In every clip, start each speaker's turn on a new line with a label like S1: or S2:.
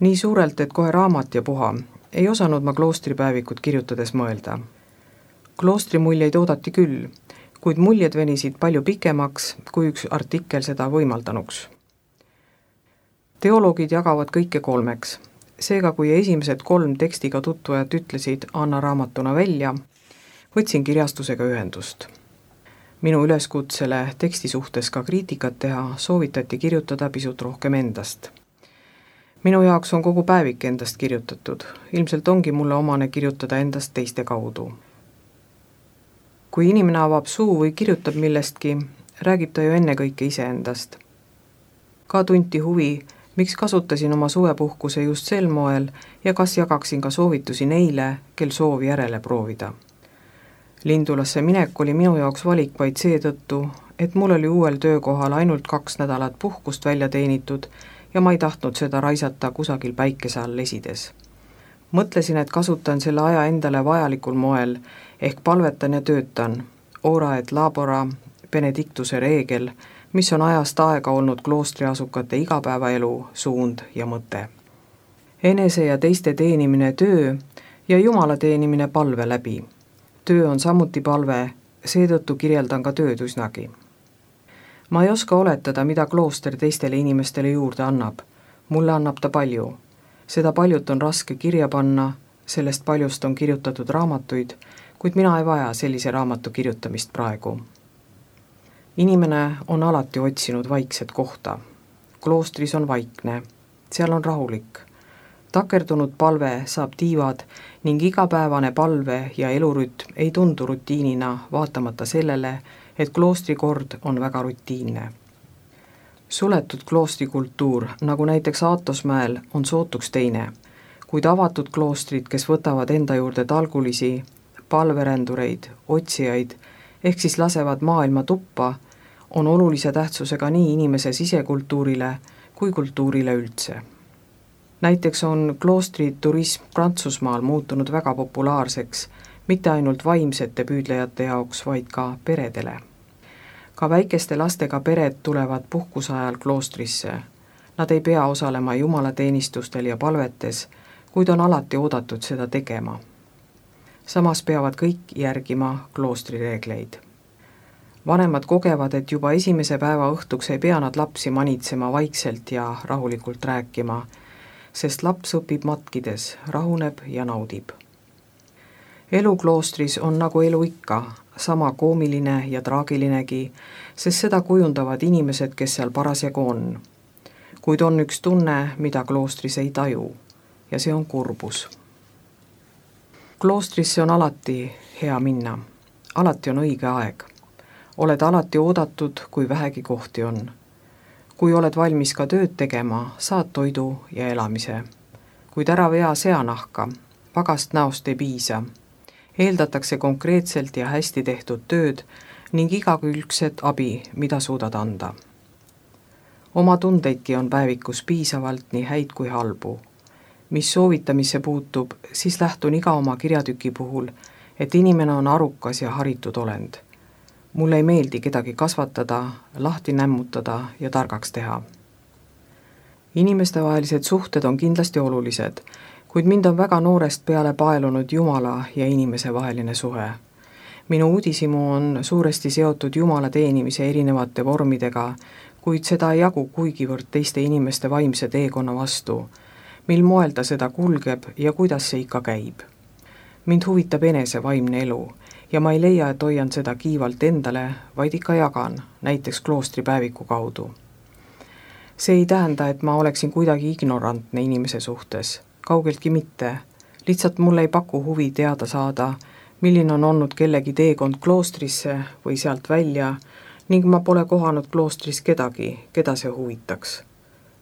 S1: Nii suurelt, et kohe raamat ja puha, ei osanud ma kloostripäevikut kirjutades mõelda. Kloostri muljeid oodati küll, kuid muljed venisid palju pikemaks, kui üks artikkel seda võimaldanuks. Teoloogid jagavad kõike 3. Seega, kui esimesed 3 tekstiga tutvujad ütlesid anna raamatuna välja, võtsin kirjastusega ühendust. Minu üleskutsele teksti suhtes ka kriitikat teha soovitati kirjutada pisut rohkem endast. Minu jaoks on kogu päevik endast kirjutatud, ilmselt ongi mulle omane kirjutada endast teiste kaudu. Kui inimene avab suu või kirjutab millestki, räägib ta ju ennekõike iseendast. Ka tunti huvi, miks kasutasin oma suvepuhkuse just sel moel ja kas jagaksin ka soovitusi neile, kel soovi järele proovida. Lindulasse minek oli minu jaoks valik vaid seetõttu, et mul oli uuel töökohal ainult 2 nädalat puhkust välja teenitud ja ma ei tahtnud seda raisata kusagil päikese all lesides. Mõtlesin, et kasutan selle aja endale vajalikul moel, ehk palvetan ja töötan, ora et labora, benedictuse reegel, mis on ajast aega olnud kloostriasukate igapäevaelu, suund ja mõte. Enese ja teiste teenimine töö ja Jumala teenimine palve läbi. Töö on samuti palve, seetõttu kirjeldan ka tööd üsnagi. Ma ei oska oletada, mida klooster teistele inimestele juurde annab. Mulle annab ta palju. Seda paljut on raske kirja panna, sellest paljust on kirjutatud raamatuid, kuid mina ei vaja sellise raamatu kirjutamist praegu. Inimene on alati otsinud vaikset kohta. Kloostris on vaikne, seal on rahulik. Takerdunud palve saab tiivad ning igapäevane palve ja elurütm ei tundu rutiinina vaatamata sellele, et kloostrikord on väga rutiinne. Suletud kloostrikultuur, nagu näiteks Aatosmäel, on sootuks teine, kuid avatud kloostrid, kes võtavad enda juurde talgulisi, palverändureid, otsijaid, ehk siis lasevad maailma tuppa, on olulise tähtsusega nii inimese sisekultuurile kui kultuurile üldse. Näiteks on kloostriturism Prantsusmaal muutunud väga populaarseks, mitte ainult vaimsete püüdlejate jaoks, vaid ka peredele. Ka väikeste lastega pered tulevad puhkuse ajal kloostrisse. Nad ei pea osalema jumalateenistustel ja palvetes, kuid on alati oodatud seda tegema. Samas peavad kõik järgima kloostrireegleid. Vanemad kogevad, et juba esimese päeva õhtuks ei pea nad lapsi manitsema vaikselt ja rahulikult rääkima, sest laps õpib matkides, rahuneb ja naudib. Elu kloostris on nagu elu ikka, sama koomiline ja traagilinegi, sest seda kujundavad inimesed, kes seal parasjagu on. Kuid on üks tunne, mida kloostris ei taju, ja see on kurbus. Kloostrisse on alati hea minna, alati on õige aeg. Oled alati oodatud, kui vähegi kohti on. Kui oled valmis ka tööd tegema, saad toidu ja elamise. Kuid ära vea seanahka, vagast näost ei piisa. Eeldatakse konkreetselt ja hästi tehtud tööd ning igakülgset abi, mida suudad anda. Oma tundeidki on päevikus piisavalt nii häid kui halbu. Mis soovitamisse puutub, siis lähtun iga oma kirjatüki puhul, et inimene on arukas ja haritud olend. Mulle ei meeldi kedagi kasvatada, lahti nämmutada ja targaks teha. Inimestevahelised suhted on kindlasti olulised, kuid mind on väga noorest peale paelunud Jumala ja inimese vaheline suhe. Minu uudishimu on suuresti seotud Jumala teenimise erinevate vormidega, kuid seda ei jagu kuigivõrd teiste inimeste vaimse teekonna vastu, mil moel ta seda kulgeb ja kuidas see ikka käib. Mind huvitab enese vaimne elu ja ma ei leia, et hoian seda kiivalt endale, vaid ikka jagan, näiteks kloostripäeviku kaudu. See ei tähenda, et ma oleksin kuidagi ignorantne inimese suhtes, kaugeltki mitte, lihtsalt mulle ei paku huvi teada saada, milline on olnud kellegi teekond kloostrisse või sealt välja ning ma pole kohanud kloostris kedagi, keda see huvitaks.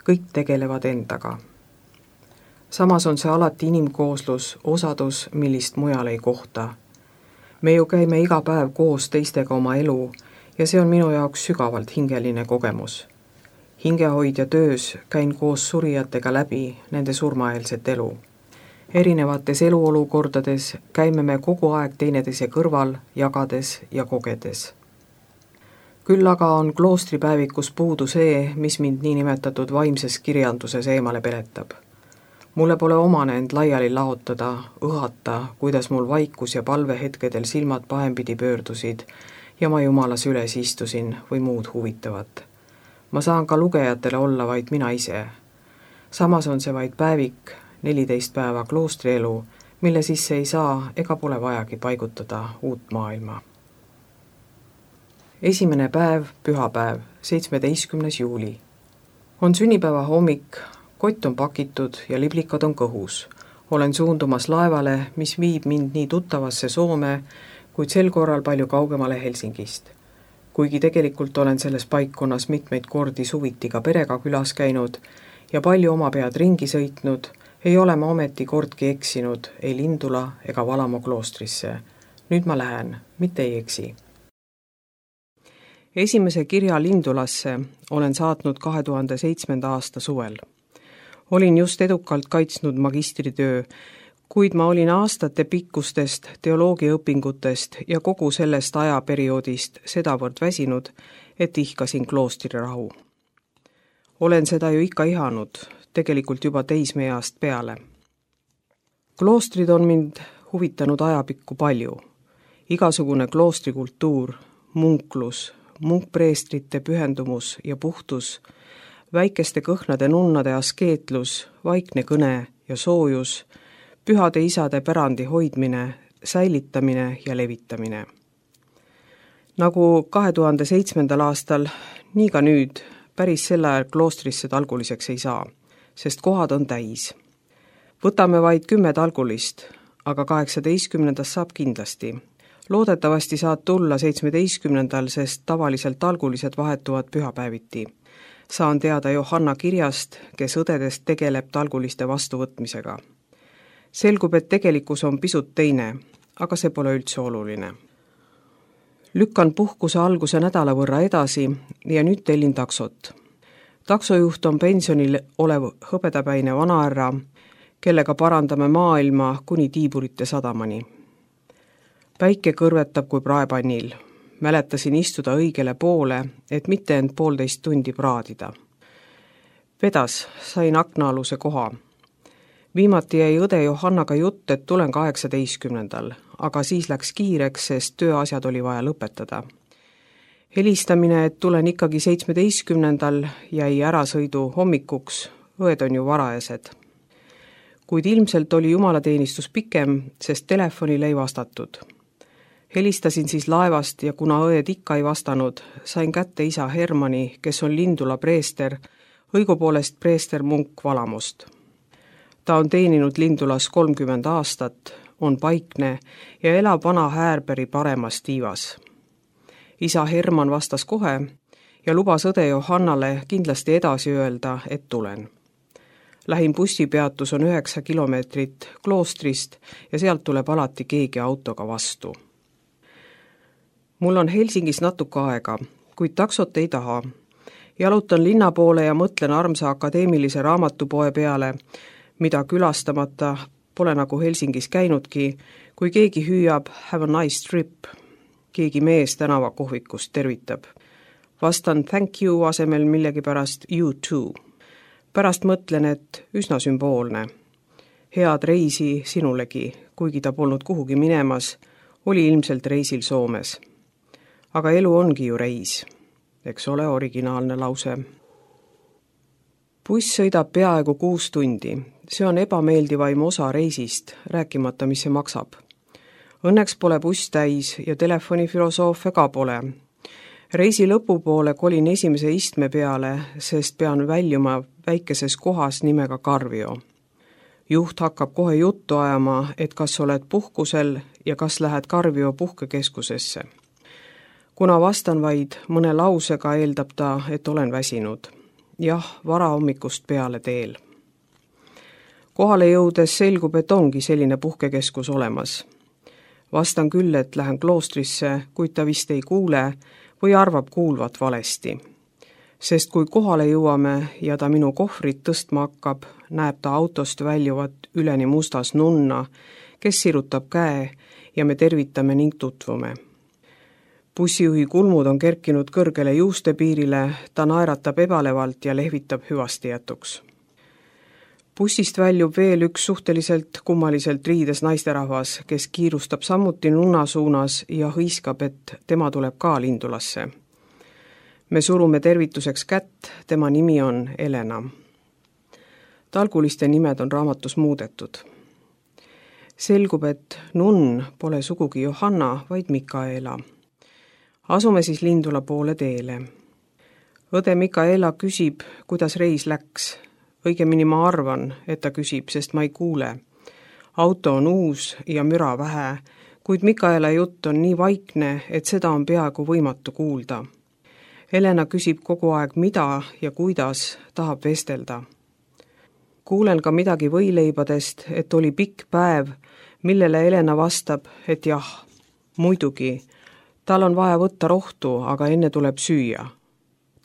S1: Kõik tegelevad endaga. Samas on see alati inimkooslus, osadus, millist mujal ei kohta. Me ju käime iga päev koos teistega oma elu ja see on minu jaoks sügavalt hingeline kogemus. Hingehoidja töös käin koos surijatega läbi nende surmaeelset elu. Erinevates eluolukordades käime me kogu aeg teineteise kõrval, jagades ja kogedes. Küll aga on kloostripäevikus puudu see, mis mind niinimetatud vaimses kirjanduses eemale peletab. Mulle pole omane end laiali laotada, õhata, kuidas mul vaikus ja palvehetkedel silmad pahempidi pöördusid ja ma jumalas üles istusin või muud huvitavat. Ma saan ka lugejatele olla vaid mina ise. Samas on see vaid päevik, 14 päeva kloostrielu, mille sisse ei saa ega pole vajagi paigutada uut maailma. Esimene päev, pühapäev, 17. juuli. On sünnipäeva hommik, kott on pakitud ja liblikad on kõhus. Olen suundumas laevale, mis viib mind nii tuttavasse Soome, kuid sel korral palju kaugemale Helsingist. Kuigi tegelikult olen selles paikkonnas mitmeid kordi suviti ka perega külas käinud ja palju oma pead ringi sõitnud, ei ole ma ometi kordki eksinud ei Lindula ega Valamu kloostrisse. Nüüd ma lähen, mitte ei eksi. Esimese kirja Lindulasse olen saatnud 2007. aasta suvel. Olin just edukalt kaitsnud magistritöö, kuid ma olin aastate pikkustest teoloogiaõpingutest ja kogu sellest ajaperioodist sedavõrd väsinud, et ihkasin kloostrirahu. Olen seda ju ikka ihanud, tegelikult juba teismeeast peale. Kloostrid on mind huvitanud ajapikku palju. Igasugune kloostrikultuur, munklus, munkpreestrite pühendumus ja puhtus, väikeste kõhnade nunnade askeetlus, vaikne kõne ja soojus, pühade isade pärandi hoidmine, säilitamine ja levitamine. Nagu 2007. aastal, nii ka nüüd päris sel ajal kloostrisse talguliseks ei saa, sest kohad on täis. Võtame vaid 10 talgulist, aga 18. saab kindlasti. Loodetavasti saad tulla 17. sest tavaliselt talgulised vahetuvad pühapäeviti. Saan teada Johanna kirjast, kes õdedest tegeleb talguliste vastuvõtmisega. Selgub, et tegelikkus on pisut teine, aga see pole üldse oluline. Lükkan puhkuse alguse nädala võrra edasi ja nüüd tellin taksot. Taksojuht on pensionil olev hõbedapäine vanahärra, kellega parandame maailma kuni Tiiburite sadamani. Päike kõrvetab kui praepannil. Mäletasin istuda õigele poole, et mitte end 1,5 tundi praadida. Vedas, sain aknaaluse koha. Viimati jäi õde Johannaga jutt, et tulen 18. aga siis läks kiireks, sest tööasjad oli vaja lõpetada. Helistamine, et tulen ikkagi 17. jäi ärasõidu hommikuks, õed on ju varajased. Kuid ilmselt oli jumalateenistus pikem, sest telefonile ei vastatud. Helistasin siis laevast ja kuna õed ikka ei vastanud, sain kätte isa Hermani, kes on Lindula preester, õigupoolest preester munk Valamust. Ta on teeninud Lindulas 30 aastat, on paikne ja elab vana Häärbergi paremas tiivas. Isa Herman vastas kohe ja lubas õde Johannale kindlasti edasi öelda, et tulen. Lähim bussipeatus on 9 kilomeetrit kloostrist ja sealt tuleb alati keegi autoga vastu. Mul on Helsingis natuke aega, kuid taksot ei taha. Jalutan linna poole ja mõtlen armsa akadeemilise raamatupoe peale, mida külastamata pole nagu Helsingis käinudki, kui keegi hüüab have a nice trip. Keegi mees tänavakohvikust tervitab. Vastan thank you asemel millegipärast you too. Pärast mõtlen, et üsna sümboolne. Head reisi sinulegi, kuigi ta polnud kuhugi minemas, oli ilmselt reisil Soomes. Aga elu ongi ju reis. Eks ole originaalne lause. Buss sõidab peaaegu 6 tundi. See on ebameeldivaim osa reisist, rääkimata, mis see maksab. Õnneks pole buss täis ja telefonifilosoofia ka pole. Reisi lõpupoole kolin esimese istme peale, sest pean väljuma väikeses kohas nimega Karvio. Juht hakkab kohe juttu ajama, et kas oled puhkusel ja kas lähed Karvio puhkekeskusesse. Kuna vastan vaid mõne lausega, eeldab ta, et olen väsinud. Jah, varahommikust peale teel. Kohale jõudes selgub, et ongi selline puhkekeskus olemas. Vastan küll, et lähen kloostrisse, kuid ta vist ei kuule või arvab kuulvat valesti. Sest kui kohale jõuame ja ta minu kohvrit tõstma hakkab, näeb ta autost väljuvat üleni mustas nunna, kes sirutab käe ja me tervitame ning tutvume. Bussijuhi kulmud on kerkinud kõrgele juustepiirile, ta naeratab ebalevalt ja lehvitab hüvasti jätuks. Bussist väljub veel üks suhteliselt kummaliselt riides naisterahvas, kes kiirustab samuti nunna suunas ja hõiskab, et tema tuleb ka Lindulasse. Me surume tervituseks kätt, tema nimi on Elena. Talguliste nimed on raamatus muudetud. Selgub, et nunn pole sugugi Johanna, vaid Mikaela. Asume siis Lindula poole teele. Õde Mikaela küsib, kuidas reis läks. Õigemini ma arvan, et ta küsib, sest ma ei kuule. Auto on uus ja müra vähe, kuid Mikaela jutt on nii vaikne, et seda on peaaegu võimatu kuulda. Elena küsib kogu aeg, mida ja kuidas tahab vestelda. Kuulen ka midagi võileibadest, et oli pikk päev, millele Elena vastab, et jah, muidugi, tal on vaja võtta rohtu, aga enne tuleb süüa.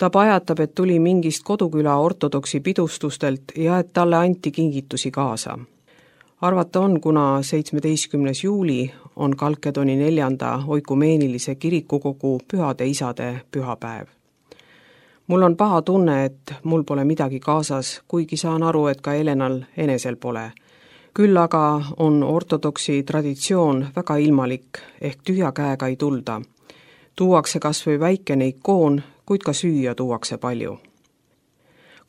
S1: Ta pajatab, et tuli mingist koduküla ortodoksi pidustustelt ja et talle anti kingitusi kaasa. Arvata on, kuna 17. juuli on Kalkedoni 4. oikumeenilise kirikukogu pühade isade pühapäev. Mul on paha tunne, et mul pole midagi kaasas, kuigi saan aru, et ka Elenal enesel pole. Küll aga on ortodoksi traditsioon väga ilmalik, ehk tühja käega ei tulda. Tuuakse kas või väikene ikoon, kuid ka süüa tuuakse palju.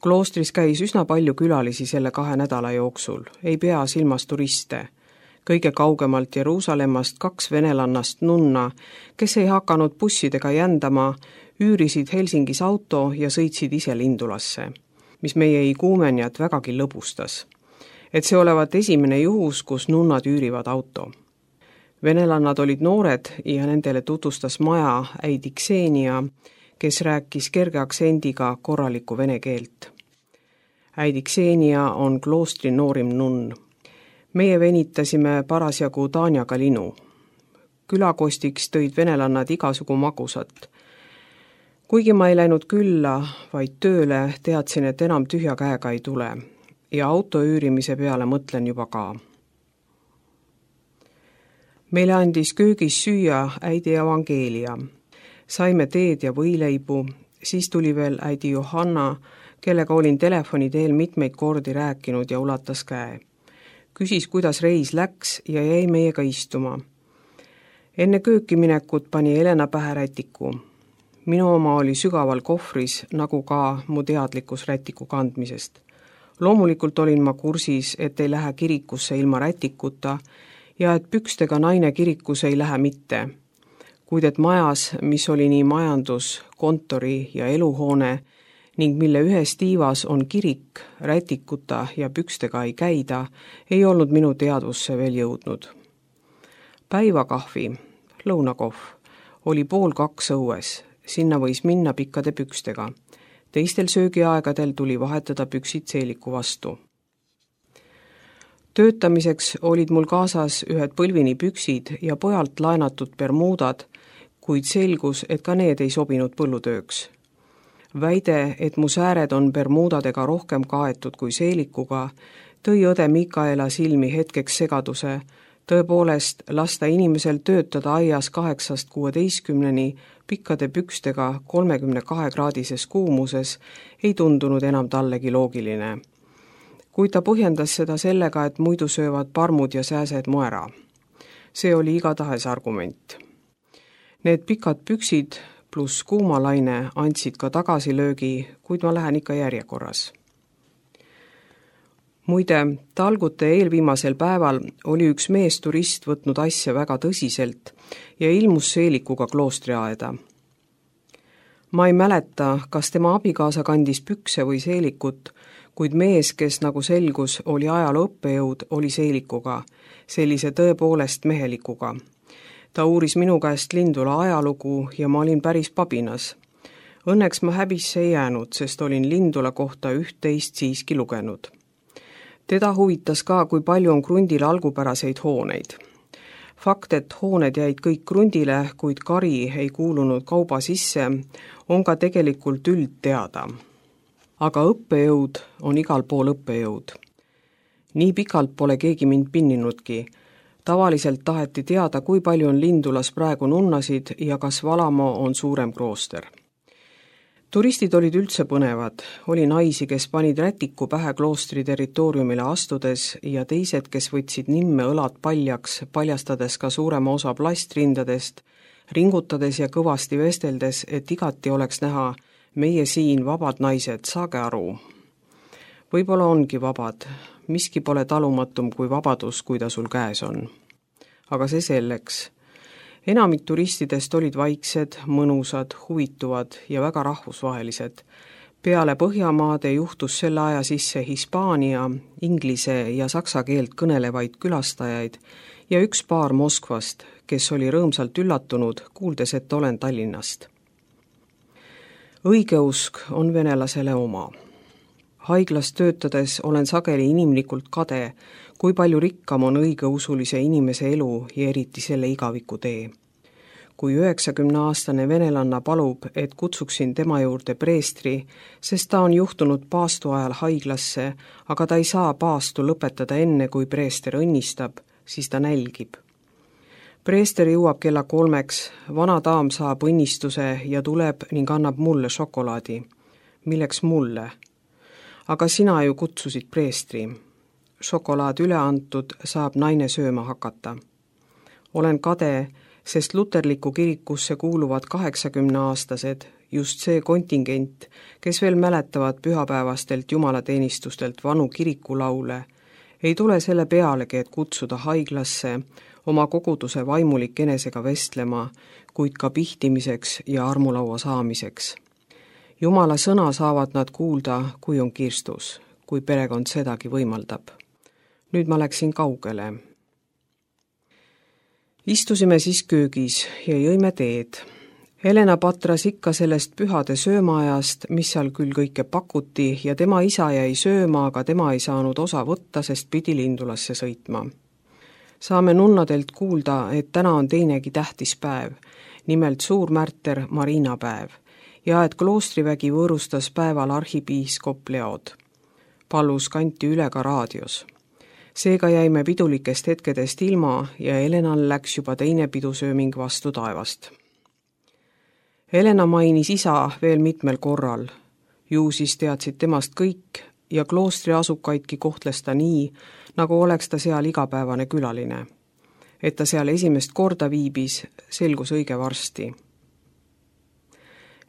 S1: Kloostris käis üsna palju külalisi selle 2 nädala jooksul, ei pea silmas turiste. Kõige kaugemalt Jeruusalemmast 2 venelannast nunna, kes ei hakanud bussidega jändama, üürisid Helsingis auto ja sõitsid ise Lindulasse, mis meie iguumenjat vägagi lõbustas. Et see olevat esimene juhus, kus nunnad üürivad auto. Venelannad olid noored ja nendele tutvustas maja äidi Ksenia, kes rääkis kerge aktsendiga korralikku vene keelt. Äidi Ksenia on kloostri noorim nunn. Meie venitasime parasjagu Tanjaga linu. Külakostiks tõid venelannad igasugu magusat. Kuigi ma ei läinud külla, vaid tööle, teadsin, et enam tühja käega ei tule ja auto üürimise peale mõtlen juba ka. Meile andis köögis süüa äidi Evangeelia. Saime teed ja võileibu, siis tuli veel äidi Johanna, kellega olin telefoni teel mitmeid kordi rääkinud ja ulatas käe. Küsis, kuidas reis läks ja jäi meiega istuma. Enne kööki minekut pani Elena pähe rätiku. Minu oma oli sügaval kohvris, nagu ka mu teadlikkus rätiku kandmisest. Loomulikult olin ma kursis, et ei lähe kirikusse ilma rätikuta ja et pükstega naine kirikusse ei lähe mitte. Kuid et majas, mis oli nii majandus, kontori ja eluhoone ning mille ühes tiivas on kirik, rätikuta ja pükstega ei käida, ei olnud minu teadvusse veel jõudnud. Päivakahvi, lõunakohv, oli 1:30 õues, sinna võis minna pikkade pükstega. Teistel söögiaegadel tuli vahetada püksid seeliku vastu. Töötamiseks olid mul kaasas ühed põlvini püksid ja pojalt laenatud bermuudad, kuid selgus, et ka need ei sobinud põllutööks. Väide, et mu sääred on bermuudadega rohkem kaetud kui seelikuga, tõi õde Mikaela silmi hetkeks segaduse. Tõepoolest, lasta inimesel töötada aias 8–16 pikkade pükstega 32-kraadises kuumuses ei tundunud enam tallegi loogiline. Kuid ta põhjendas seda sellega, et muidu söövad parmud ja sääsed mu ära. See oli igatahes argument. Need pikad püksid pluss kuumalaine andsid ka tagasilöögi, kuid ma lähen ikka järjekorras. Muide, talgute eelviimasel päeval oli üks mees turist võtnud asja väga tõsiselt ja ilmus seelikuga kloostriaeda. Ma ei mäleta, kas tema abikaasa kandis pükse või seelikut, kuid mees, kes nagu selgus, oli ajaloo õppejõud, oli seelikuga, sellise tõepoolest mehelikuga. Ta uuris minu käest Lindula ajalugu ja ma olin päris pabinas. Õnneks ma häbisse ei jäänud, sest olin Lindula kohta üht-teist siiski lugenud. Teda huvitas ka, kui palju on krundil algupäraseid hooneid. Fakt, et hooned jäid kõik krundile, kuid kari ei kuulunud kauba sisse, on ka tegelikult üldteada. Aga õppejõud on igal pool õppejõud. Nii pikalt pole keegi mind pinninudki. Tavaliselt taheti teada, kui palju on Lindulas praegu nunnasid ja kas Valamo on suurem klooster. Turistid olid üldse põnevad, oli naisi, kes panid rätiku pähe kloostri territooriumile astudes ja teised, kes võtsid nimme õlad paljaks, paljastades ka suurema osa plastrindadest, ringutades ja kõvasti vesteldes, et igati oleks näha, meie siin, vabad naised, saage aru. Võib-olla ongi vabad, miski pole talumatum kui vabadus, kui ta sul käes on. Aga see selleks. Enamik turistidest olid vaiksed, mõnusad, huvituvad ja väga rahvusvahelised. Peale Põhjamaade juhtus selle aja sisse Hispaania, inglise ja saksa keelt kõnelevaid külastajaid ja üks paar Moskvast, kes oli rõõmsalt üllatunud, kuuldes, et olen Tallinnast. Õigeusk on venelasele oma. Haiglas töötades olen sageli inimlikult kade, kui palju rikkam on õigeusulise inimese elu ja eriti selle igaviku tee. Kui 90-aastane venelanna palub, et kutsuksin tema juurde preestri, sest ta on juhtunud paastu ajal haiglasse, aga ta ei saa paastu lõpetada enne, kui preester õnnistab, siis ta nälgib. Preester jõuab kella 3, vana daam saab õnnistuse ja tuleb ning annab mulle šokolaadi. Milleks mulle? Aga sina ju kutsusid preestri. Šokolaad üle antud, saab naine sööma hakata. Olen kade, sest luterliku kirikusse kuuluvad 80-aastased, just see kontingent, kes veel mäletavad pühapäevastelt jumalateenistustelt vanu kirikulaule, ei tule selle pealegi, et kutsuda haiglasse oma koguduse vaimulik enesega vestlema, kuid ka pihtimiseks ja armulaua saamiseks. Jumala sõna saavad nad kuulda, kui on kirstus, kui perekond sedagi võimaldab. Nüüd ma läksin kaugele. Istusime siis köögis ja jõime teed. Helena patras ikka sellest pühade söömaajast, mis seal küll kõike pakuti ja tema isa jäi sööma, aga tema ei saanud osa võtta, sest pidi Lindulasse sõitma. Saame nunnadelt kuulda, et täna on teinegi tähtis päev, nimelt suurmärter Marina päev. Ja et kloostrivägi võõrustas päeval arhipiiskop Leod. Palus kanti üle ka raadios. Seega jäime pidulikest hetkedest ilma ja Helenal läks juba teine pidusööming vastu taevast. Helena mainis isa veel mitmel korral. Ju siis teadsid temast kõik ja kloostri asukaidki kohtles ta nii, nagu oleks ta seal igapäevane külaline. Et ta seal esimest korda viibis, selgus õige varsti.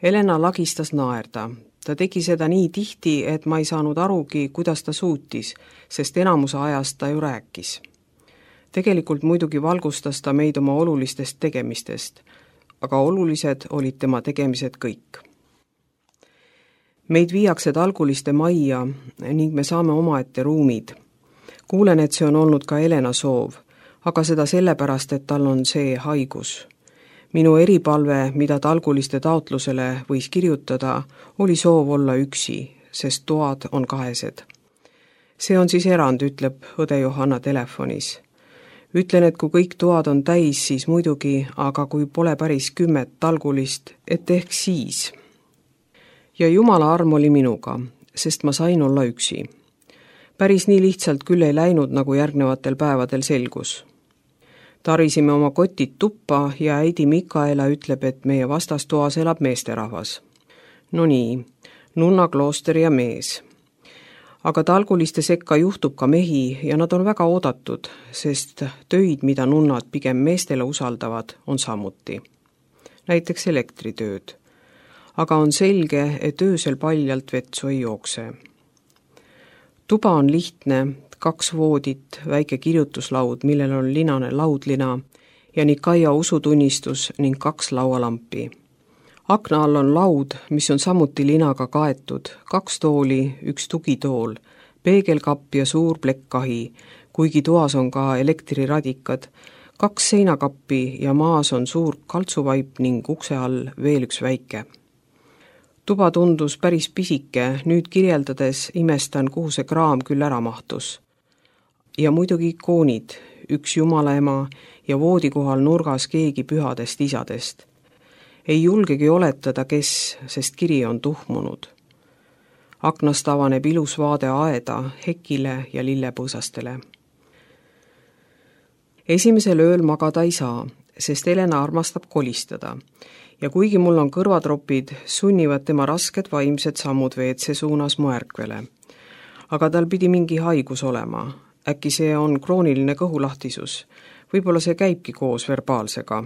S1: Helena lagistas naerda. Ta tegi seda nii tihti, et ma ei saanud arugi, kuidas ta suutis, sest enamuse ajast ta ju rääkis. Tegelikult muidugi valgustas ta meid oma olulistest tegemistest, aga olulised olid tema tegemised kõik. Meid viiakse Talguliste majja ning me saame omaette ruumid. Kuulen, et see on olnud ka Helena soov, aga seda sellepärast, et tal on see haigus. Minu eripalve, mida Talguliste taotlusele võis kirjutada, oli soov olla üksi, sest toad on kahesed. See on siis erand, ütleb õde Johanna telefonis. Ütlen, et kui kõik toad on täis, siis muidugi, aga kui pole päris 10 Talgulist, et ehk siis. Ja Jumala arm oli minuga, sest ma sain olla üksi. Päris nii lihtsalt küll ei läinud, nagu järgnevatel päevadel selgus. Tarisime oma kotid tuppa ja äidi Mikaela ütleb, et meie vastastoas elab meesterahvas. No nii, nunna, klooster ja mees. Aga Talguliste sekka juhtub ka mehi ja nad on väga oodatud, sest töid, mida nunnad pigem meestele usaldavad, on samuti. Näiteks elektritööd. Aga on selge, et öösel paljalt vetsu ei jookse. Tuba on lihtne, 2 voodit, väike kirjutuslaud, millel on linane laudlina ja Nikaia usutunnistus ning 2 laualampi. Akna all on laud, mis on samuti linaga kaetud, 2 tooli, 1 tugitool, peegelkapp ja suur plekkkahi, kuigi toas on ka elektriradikad, 2 seinakappi ja maas on suur kaltsuvaip ning ukse all veel 1 väike. Tuba tundus päris pisike, nüüd kirjeldades imestan, kuhu see kraam küll ära mahtus. Ja muidugi ikoonid, 1 jumalaema ja voodi kohal nurgas keegi pühadest isadest. Ei julgegi oletada, kes, sest kiri on tuhmunud. Aknast avaneb ilus vaade aeda, hekile ja lillepõõsastele. Esimesel ööl magada ei saa, sest Helena armastab kolistada ja kuigi mul on kõrvatropid, sunnivad tema rasked vaimsed sammud WC suunas mu ärkvele. Aga tal pidi mingi haigus olema. Äkki see on krooniline kõhulahtisus. Võib-olla see käibki koos verbaalsega.